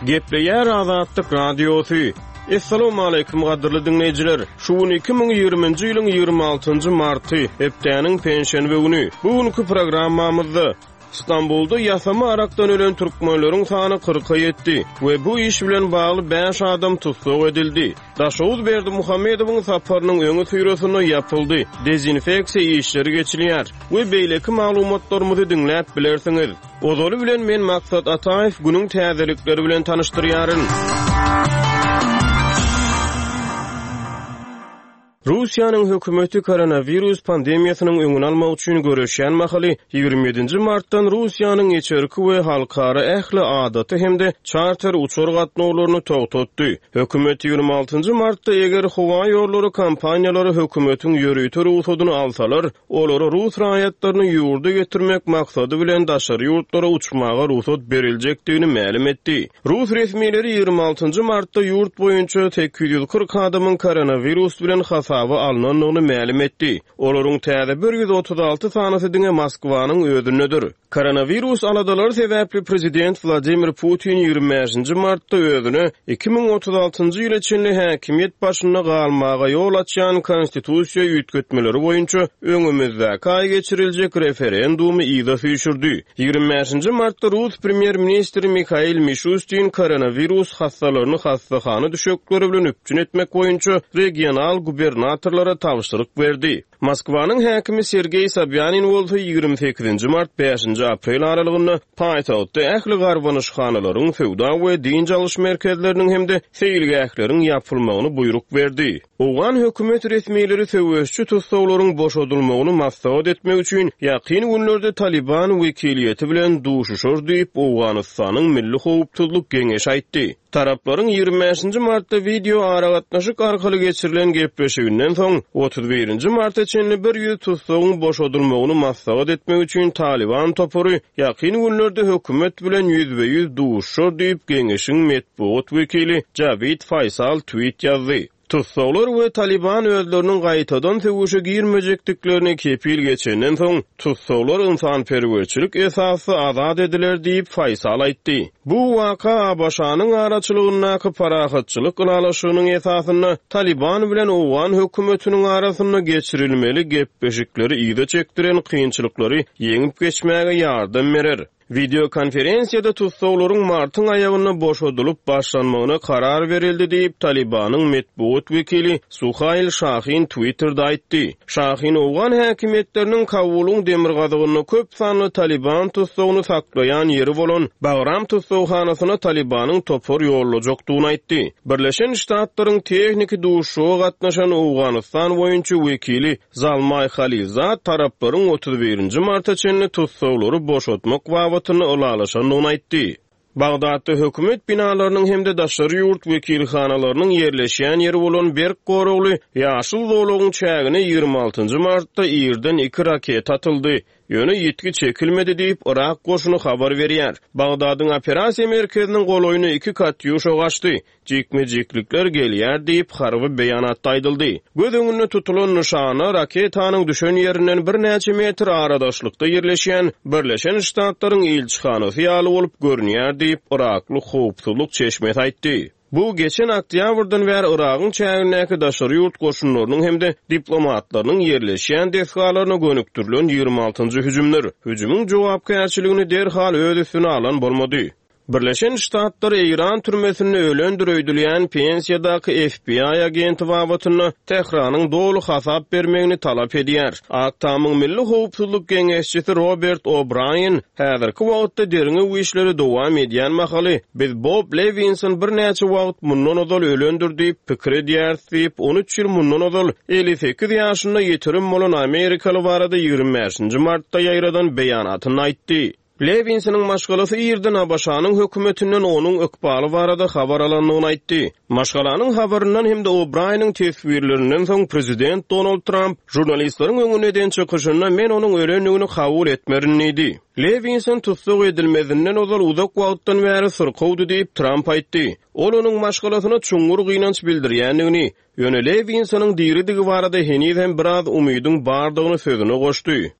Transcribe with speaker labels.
Speaker 1: Gepleýär Azatlyk Radiosy. Essalawmaleýkim gadyrly diňleýjiler! Şu gün 2020-nji ýylyň 26-njy marty, hepdäniň penşenbe güni. Bu günki programmamyzda Stambulda ýasama arakdan ölen türkmenleriň sany kyrka ýetdi we bu iş bilen bagly bäş adam tussag edildi. Daşoguz Berdimuhamedowyň saparynyň öňüsyrasynda ýapyldy, dezinfeksiýa işleri geçilýär we beýleki maglumatlarymyzy diňläp bilersiňiz. Ozaly bilen men Maksat Ataýew günüň täzelikleri bilen tanyşdyrýaryn. Russiýanyň hökümeti koronawirus pandemiýasynyň öňüni almak üçin göreşýän mahaly, 27 nji martdan Russiýanyň içerki we halkara ähli adaty hem-de çarter uçar gatnawlaryny togtatdy. Hökümet 26 nji martda eger howa ýollary kompaniýalary hökümetiň ýörite rugsadyny alsalar, Olara rus raýatlaryny ýurda getirmek maksady bilen daşary ýurtlara uçmaga rugsat beriljekdigini mälim etdi. Rus resmileri 26 njy martda ýurt boýunça 840 adamyň koronawirus bilen hasaba alnandygyny mälim etdi. Olaryň täze 136 sanysy diňe Moskwanyň özündedir. Koronawirus aladalary sebäpli prezident Wladimir Putin 25 nji martda özüne 2036 njy ýyla çenli häkimiýet başynda galmaga ýol açýan konstitusiýa üýtgetmeleri boýunça öňümizdäki aý geçiriljek referendumy yza süýşürdi. 25 nji martda rus premýer-ministri Mihail Mişustin koronawirus hassalaryny hassahana düşekleri bilen üpjün etmek boýunça regional gubernatorlara tabşyryk berdi. Moskwanyň häkimi Sergeý Sobýanin bolsa 28 nji mart, bäşinji aprel aralygynda paýtagtda ähli garbanyşhanalaryň, söwda we dynç alyş merkezleriniň hem-de seýilgähleriň ýapylmagyny buýruk berdi. Owgan hökümet resmileri söweşçi tussaglaryň boşadylmagyny maslahat etmek üçin ýakyn günlerde Talyban wekiliýeti bilen duşuşar diýip, Owganystanyň Milli howpsuzlyk geňeşi aýtdy. Taraplaryň 25 nji martda wideo aragatnaşyk arkaly geçirilen gepleşiginden soň, 31 nji marta çenli 100 tussagyň boşadylmagyny maslahat etmek üçin Talyban topary ýakyn günlerde hökümet bilen ýüzbe-ýüz duşuşar diýip, geňeşiň metbugat wekili Jawid Faýsal tweet ýazdy. Tussaglar we Talyban özleriniň gaýtadan söweşe girmejekdiklerine kepil geçenden soň, tussaglar ynsanperwerçilik esasda azat ediler diýip, Faýsal aýtdy. Bu waka ABŞ-nyň araçylygyndaky parahatçylyk ylalaşygynyň esasynda Talyban bilen owgan hökümetiniň arasynda geçirilmeli gepleşikleri yza çekdiren kynçylyklary ýeňip geçmäge ýardam berer. Wideokonferensiýada tussaglaryň martyň aýagynda boşadylyp başlanmagyna karar berildi diýip, Talybanyň metbugat wekili Suhail Şahin Twitterde aýtdy. Şahin owgan häkimiýetleriniň Kabulyň demirgazygynda köp sanly Talyban tussagyny saklaýan ýeri bolan Bagram tussaghanasyna Talybanyň topar ýollajakdygyny aýtdy. Birleşen Ştatlaryň tehniki duşuşyga gatnaşan Owganystan boýunça wekili Zalmaý Halilzad taraplaryň 31 nji marta çenli tussaglary boşatmak babatynda ylalaşandygyny aýtdy. Bagdatda hökümet binalarynyň hem-de daşary ýurt wekilhanalarynyň ýerleşýän ýeri bolan berk goragly Ýaşyl zolagyň çägine 26 nji martda irden iki raketa atyldy, ýöne ýitgi çekilmedi diýip, yrak goşuny habar berýär. Bagdadyň operasiýa merkeziniň golaýyna iki katýuşa gaçdy. Jikme-jiklikler gelýär diýip, harby beýanatda aýdyldy. Göz öňünde tutulan nyşana raketanyň düşen ýerinden birnäçe metr aradaşlykda ýerleşýän Birleşen Ştatlaryň ilçihanasy ýaly bolup görünýär diýip, yrakly howpsuzlyk çeşmesi aýtdy. Bu geçen oktýabrdan bäri Yragyň çägindäki daşary ýurt goşunlarynyň hem-de diplomatlarynyň ýerleşýän desgalaryna gönükdirilen 26-njy hüjümdir. Hüjümiň jogapkärçiligini derhal öz üstüne alan bolmady. Birleşen Ştatlar Eýran türmesinde ölendir öýdülýän pensiýadaky FBI agenti babatynda Tähranyň doly hasap bermegini talap edýär. Ak Tamyň milli howpsuzlyk geňeşçisi Robert O'Braýen häzirki wagtda derňew işleri dowam edýän mahaly, biz Bob Lewinson birnäçe wagt mundan ozal ölendir diýip pikir edýäris diýip, 13 ýyl mundan ozal 58 ýaşynda ýitirim bolan amerikaly barada 25 nji martda ýaýradan beýanatynda aýtdy. Lewinsonyň maşgalasy irden ABŞ-nyň hökümetinden onuň ykbaly barada habar alandygyny aýtdy. Maşgalanyň habaryndan hem-de O'Braýeniň teswirlerinden soň prezident Donald Tramp žurnalistleriň öňünde eden çykyşynda men onuň ölendigini kabul etmerin diýdi. Lewinson tussag edilmezinden ozal uzak wagtdan bäri syrkawdy diýip, Tramp aýtdy. Ol onuň maşgalasyna çuňňur gynanç bildirýändigini, ýöne Lewinsonyň diridigi barada heniz hem biraz umydyň bardygyny sözüne goşdy.